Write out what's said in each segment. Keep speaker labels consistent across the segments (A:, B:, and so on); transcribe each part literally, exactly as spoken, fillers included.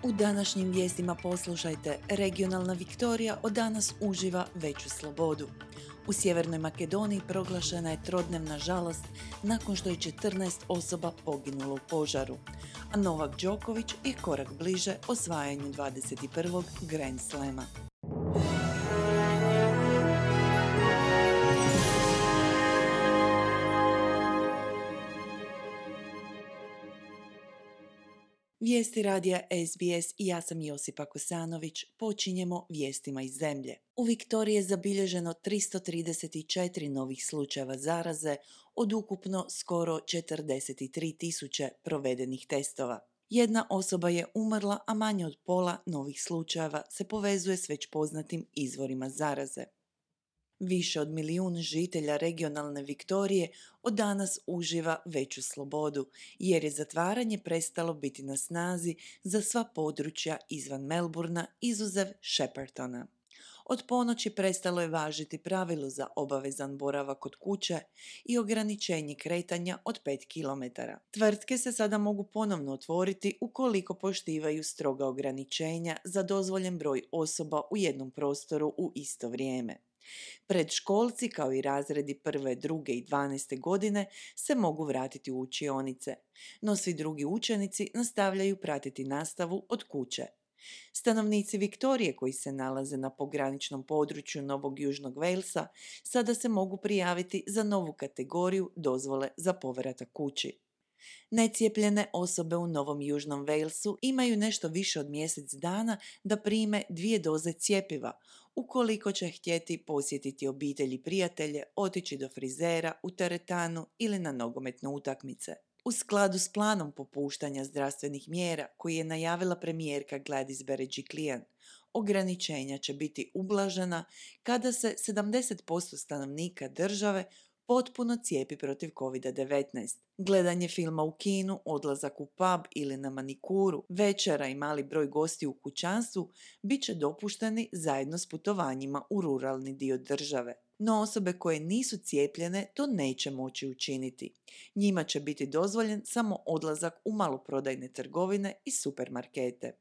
A: U današnjim vijestima poslušajte, regionalna Viktorija od danas uživa veću slobodu. U Sjevernoj Makedoniji proglašena je trodnevna žalost nakon što je četrnaest osoba poginulo u požaru, a Novak Đoković je korak bliže osvajanju dvadeset prvog Grand Slama. Vijesti radija S B S i ja sam Josipa Kosanović. Počinjemo vijestima iz zemlje. U Viktoriji je zabilježeno tristo trideset četiri novih slučajeva zaraze od ukupno skoro četrdeset tri tisuće provedenih testova. Jedna osoba je umrla, a manje od pola novih slučajeva se povezuje s već poznatim izvorima zaraze. Više od milijun žitelja regionalne Viktorije od danas uživa veću slobodu, jer je zatvaranje prestalo biti na snazi za sva područja izvan Melbourna, izuzev Sheppartona. Od ponoći prestalo je važiti pravilo za obavezan boravak kod kuće i ograničenje kretanja od pet kilometara. Tvrtke se sada mogu ponovno otvoriti ukoliko poštivaju stroga ograničenja za dozvoljen broj osoba u jednom prostoru u isto vrijeme. Predškolci kao i razredi prve, druge i dvanaeste godine se mogu vratiti u učionice, no svi drugi učenici nastavljaju pratiti nastavu od kuće. Stanovnici Viktorije koji se nalaze na pograničnom području Novog Južnog Walesa sada se mogu prijaviti za novu kategoriju dozvole za povratak kući. Necijepljene osobe u Novom Južnom Walesu imaju nešto više od mjesec dana da prime dvije doze cjepiva, ukoliko će htjeti posjetiti obitelj i prijatelje, otići do frizera, u teretanu ili na nogometne utakmice. U skladu s planom popuštanja zdravstvenih mjera koji je najavila premijerka Gladys Berejiklian, ograničenja će biti ublažena kada se sedamdeset posto stanovnika države potpuno cijepi protiv covid devetnaest. Gledanje filma u kinu, odlazak u pub ili na manikuru, večera i mali broj gosti u kućanstvu bit će dopušteni zajedno s putovanjima u ruralni dio države. No osobe koje nisu cijepljene to neće moći učiniti. Njima će biti dozvoljen samo odlazak u maloprodajne trgovine i supermarkete.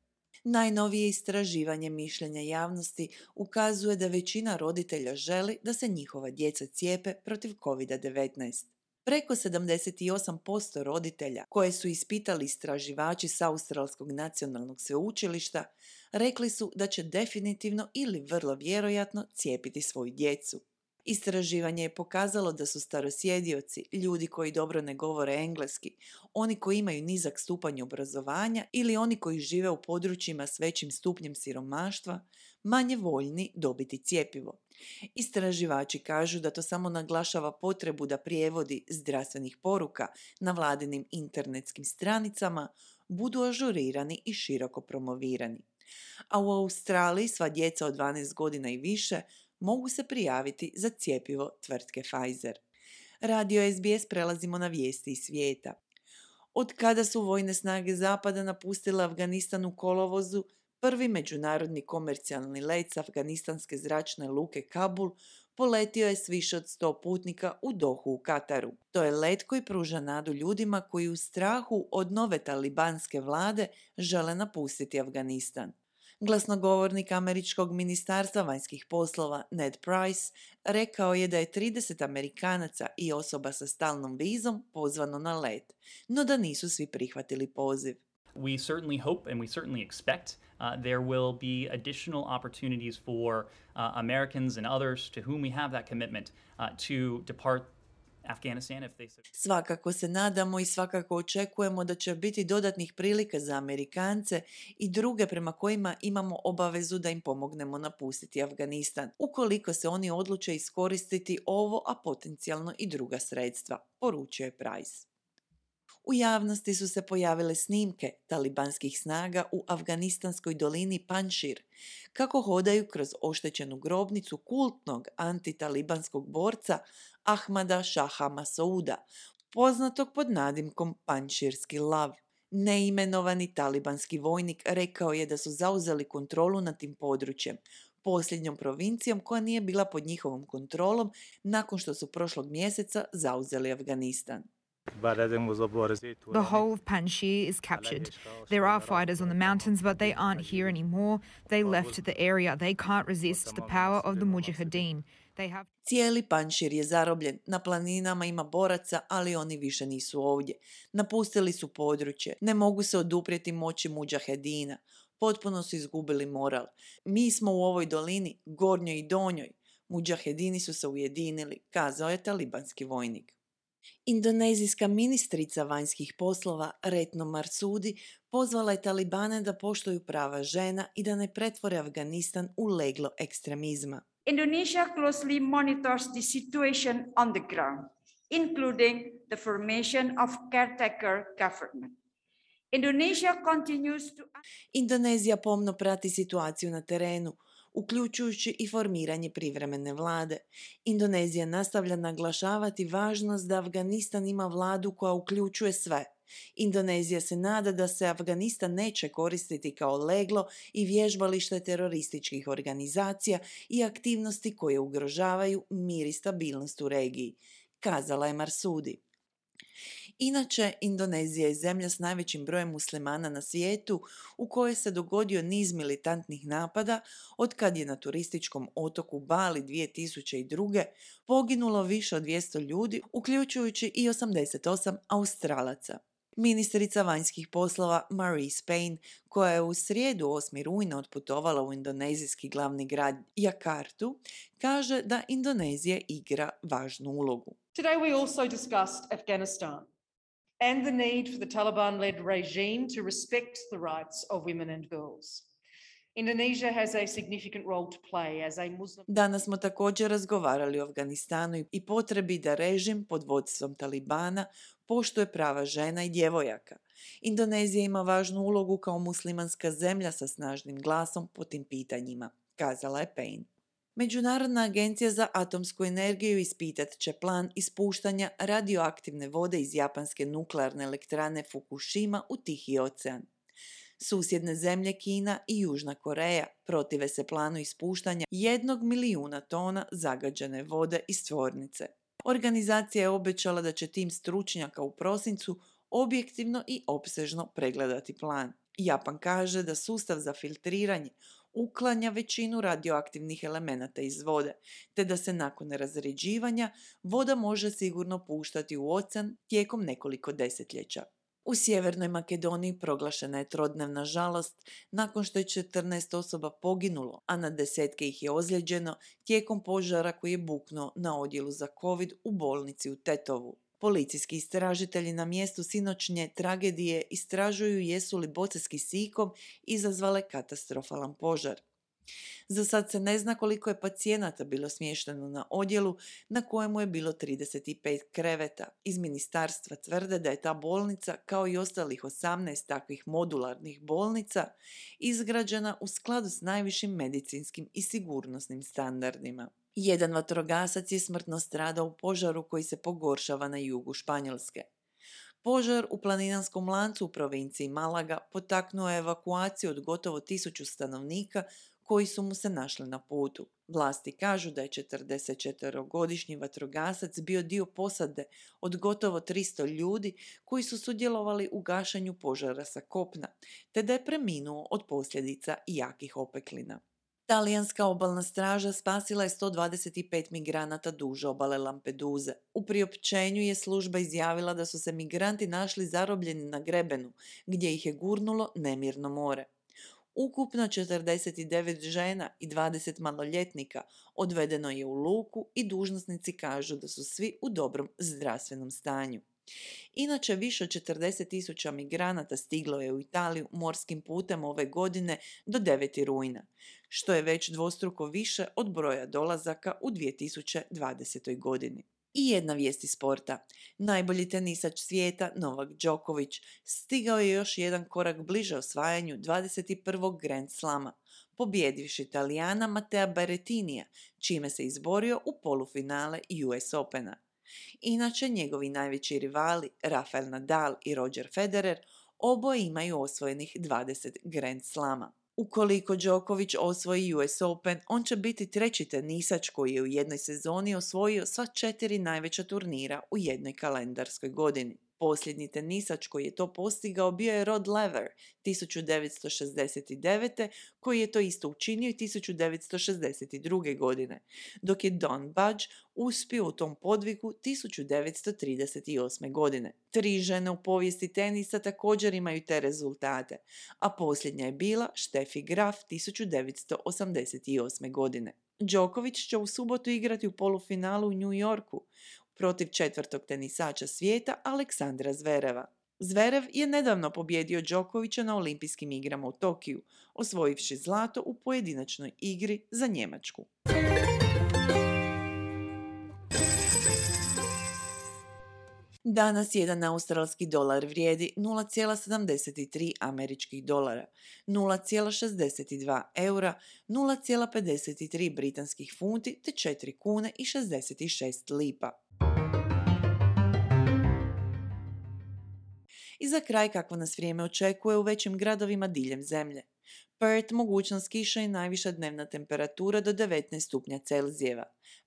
A: Najnovije istraživanje mišljenja javnosti ukazuje da većina roditelja želi da se njihova djeca cijepe protiv covid devetnaest. Preko sedamdeset osam posto roditelja koje su ispitali istraživači s Australskog nacionalnog sveučilišta rekli su da će definitivno ili vrlo vjerojatno cijepiti svoju djecu. Istraživanje je pokazalo da su starosjedioci, ljudi koji dobro ne govore engleski, oni koji imaju nizak stupanj obrazovanja ili oni koji žive u područjima s većim stupnjem siromaštva, manje voljni dobiti cjepivo. Istraživači kažu da to samo naglašava potrebu da prijevodi zdravstvenih poruka na vladinim internetskim stranicama budu ažurirani i široko promovirani. A u Australiji sva djeca od dvanaest godina i više mogu se prijaviti za cjepivo tvrtke Pfizer. Radio S B S prelazimo na vijesti iz svijeta. Od kada su vojne snage Zapada napustile Afganistan u kolovozu, prvi međunarodni komercijalni let s afganistanske zračne luke Kabul poletio je s više od sto putnika u Dohu u Kataru. To je let koji pruža nadu ljudima koji u strahu od nove talibanske vlade žele napustiti Afganistan. Glasnogovornik američkog ministarstva vanjskih poslova Ned Price rekao je da je trideset Amerikanaca i osoba sa stalnom vizom pozvano na let, no da nisu svi prihvatili poziv.
B: We certainly hope and we certainly expect uh, there will be additional opportunities for uh, Americans and others to whom we have that commitment uh, to depart Afghanistan if they...
A: Svakako se nadamo i svakako očekujemo da će biti dodatnih prilika za Amerikance i druge prema kojima imamo obavezu da im pomognemo napustiti Afganistan, ukoliko se oni odluče iskoristiti ovo, a potencijalno i druga sredstva, poručio je Price. U javnosti su se pojavile snimke talibanskih snaga u afganistanskoj dolini Panjšir, kako hodaju kroz oštećenu grobnicu kultnog antitalibanskog borca Ahmada Šaha Masouda, poznatog pod nadimkom Panjširski lav. Neimenovani talibanski vojnik rekao je da su zauzeli kontrolu nad tim područjem, posljednjom provincijom koja nije bila pod njihovom kontrolom nakon što su prošlog mjeseca zauzeli Afganistan.
C: The whole of Panjshir is captured. There are fighters on the mountains, but they aren't here anymore. They left the area. They can't resist the power of the Mujahideen. They have
A: Cijeli Panjšir je zarobljen, na planinama ima boraca, ali oni više nisu ovdje. Napustili su područje, ne mogu se oduprijeti moći mudžahedina. Potpuno su izgubili moral. Mi smo u ovoj dolini, gornjoj i donjoj. Mudžahedini su se ujedinili, kazao je talibanski vojnik. Indonezijska ministrica vanjskih poslova Retno Marsudi pozvala je Talibane da poštuju prava žena i da ne pretvore Afganistan u leglo ekstremizma.
D: Indonesia closely monitors the situation on the ground, including the formation of caretaker government. Indonesia continues to...
A: Indonezija pomno prati situaciju na terenu, uključujući i formiranje privremene vlade. Indonezija nastavlja naglašavati važnost da Afganistan ima vladu koja uključuje sve. Indonezija se nada da se Afganistan neće koristiti kao leglo i vježbalište terorističkih organizacija i aktivnosti koje ugrožavaju mir i stabilnost u regiji, kazala je Marsudi. Inače, Indonezija je zemlja s najvećim brojem muslimana na svijetu u kojoj se dogodio niz militantnih napada od kad je na turističkom otoku Bali dvije tisuće druge. poginulo više od dvjesto ljudi, uključujući i osamdeset osam Australaca. Ministrica vanjskih poslova Marise Payne, koja je u srijedu osmog rujna otputovala u indonezijski glavni grad Jakartu, kaže da Indonezija igra važnu ulogu.
E: Today we also discussed Afghanistan and the need for the Taliban-led regime to respect the rights of women and girls. Indonesia has a significant role to play as a Muslim...
A: Danas smo također razgovarali o Afganistanu i potrebi da režim pod vodstvom Talibana poštuje prava žena i djevojaka. Indonezija ima važnu ulogu kao muslimanska zemlja sa snažnim glasom po tim pitanjima, kazala je Payne. Međunarodna agencija za atomsku energiju ispitat će plan ispuštanja radioaktivne vode iz japanske nuklearne elektrane Fukushima u Tihi ocean. Susjedne zemlje Kina i Južna Koreja protive se planu ispuštanja jednog milijuna tona zagađene vode iz tvornice. Organizacija je obećala da će tim stručnjaka u prosincu objektivno i opsežno pregledati plan. Japan kaže da sustav za filtriranje uklanja većinu radioaktivnih elemenata iz vode, te da se nakon razređivanja voda može sigurno puštati u ocean tijekom nekoliko desetljeća. U Sjevernoj Makedoniji proglašena je trodnevna žalost nakon što je četrnaest osoba poginulo, a na desetke ih je ozlijeđeno tijekom požara koji je buknuo na odjelu za COVID u bolnici u Tetovu. Policijski istražitelji na mjestu sinoćnje tragedije istražuju jesu li boce s kisikom izazvale katastrofalan požar. Za sad se ne zna koliko je pacijenata bilo smješteno na odjelu na kojemu je bilo trideset pet kreveta. Iz ministarstva tvrde da je ta bolnica, kao i ostalih osamnaest takvih modularnih bolnica, izgrađena u skladu s najvišim medicinskim i sigurnosnim standardima. Jedan vatrogasac je smrtno stradao u požaru koji se pogoršava na jugu Španjolske. Požar u planinarskom lancu u provinciji Malaga potaknuo je evakuaciju od gotovo tisuću stanovnika koji su mu se našli na putu. Vlasti kažu da je četrdesetčetverogodišnji vatrogasac bio dio posade od gotovo tristo ljudi koji su sudjelovali u gašenju požara sa kopna, te da je preminuo od posljedica jakih opeklina. Talijanska obalna straža spasila je sto dvadeset pet migranata duž obale Lampeduze. U priopćenju je služba izjavila da su se migranti našli zarobljeni na grebenu, gdje ih je gurnulo nemirno more. Ukupno četrdeset devet žena i dvadeset maloljetnika odvedeno je u luku i dužnosnici kažu da su svi u dobrom zdravstvenom stanju. Inače, više od četrdeset tisuća migranata stiglo je u Italiju morskim putem ove godine do devetog rujna, što je već dvostruko više od broja dolazaka u dvije tisuće dvadesetoj. godini. I jedna vijest iz sporta. Najbolji tenisač svijeta Novak Đoković stigao je još jedan korak bliže osvajanju dvadeset prvog Grand Slama, pobjedivši Italijana Matea Berrettinija, čime se izborio u polufinale U S Opena. Inače, njegovi najveći rivali Rafael Nadal i Roger Federer oboje imaju osvojenih dvadeset Grand Slama. Ukoliko Djokovic osvoji U S Open, on će biti treći tenisač koji je u jednoj sezoni osvojio sva četiri najveća turnira u jednoj kalendarskoj godini. Posljednji tenisač koji je to postigao bio je Rod Laver tisuću devetsto šezdeset devete koji je to isto učinio i tisuću devetsto šezdeset druge. godine, dok je Don Budge uspio u tom podvigu tisuću devetsto trideset osme. godine. Tri žene u povijesti tenisa također imaju te rezultate, a posljednja je bila Steffi Graf tisuću devetsto osamdeset osme. godine. Djokovic će u subotu igrati u polufinalu u New Yorku protiv četvrtog tenisača svijeta Aleksandra Zvereva. Zverev je nedavno pobjedio Djokovića na olimpijskim igrama u Tokiju, osvojivši zlato u pojedinačnoj igri za Njemačku. Danas jedan australski dolar vrijedi nula zarez sedamdeset tri američkih dolara, nula zarez šezdeset dva eura, nula zarez pedeset tri britanskih funti te četiri kune i šezdeset šest lipa. I za kraj kako nas vrijeme očekuje u većim gradovima diljem zemlje. Perth mogućnost kiše i najviša dnevna temperatura do devetnaest stupnja Celzijeva.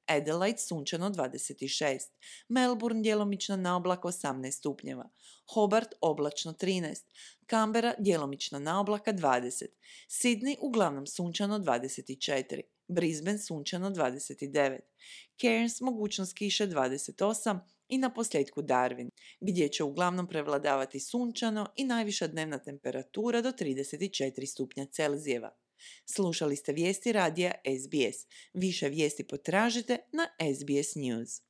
A: Adelaide sunčano dvadeset šest, Melbourne djelomično na oblak osamnaest stupnjeva, Hobart oblačno trinaest, Canberra djelomično na oblaka dvadeset, Sydney uglavnom sunčano dvadeset četiri, Brisbane sunčano dvadeset devet, Cairns mogućnost kiše dvadeset osam i na posljedku Darwin, gdje će uglavnom prevladavati sunčano i najviša dnevna temperatura do trideset četiri stupnja Celzijeva. Slušali ste vijesti radija S B S. Više vijesti potražite na S B S News.